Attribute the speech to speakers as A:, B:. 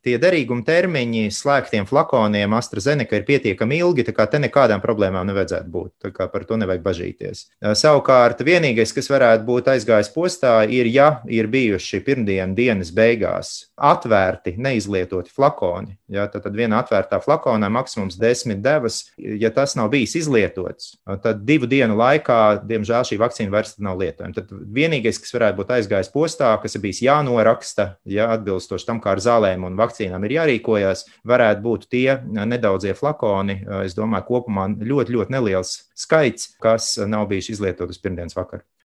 A: tie derīguma termiņi slēgtiem flakoniem AstraZeneca ir pietiekami ilgi, tā kā te nekādām problēmām nevajadzētu būt. Tā kā par to nevajag bažīties. Savukārt, vienīgais, kas varētu būt aizgājis postā, ir, ja ir bijuši dienas beigās atvērti, neizlietoti flakoni. Ja, tad viena atvērtā flakonā maksimums 10 devas. Ja tas nav bijis izlietots, tad 2 dienu laikā, diemžēl, šī vakcīna vairs nav lietojama. Tad vienīgais, kas varētu būt aizgājis postā, kas ir bijis jānoraksta, ja atbilstoši tam, kā ar zālēm un vakcīnām ir jārīkojas, varētu būt tie nedaudzie flakoni. Es domāju, kopumā ļoti, ļoti neliels skaits, kas nav bijuši izlietoti uz pirmdienas vakaru.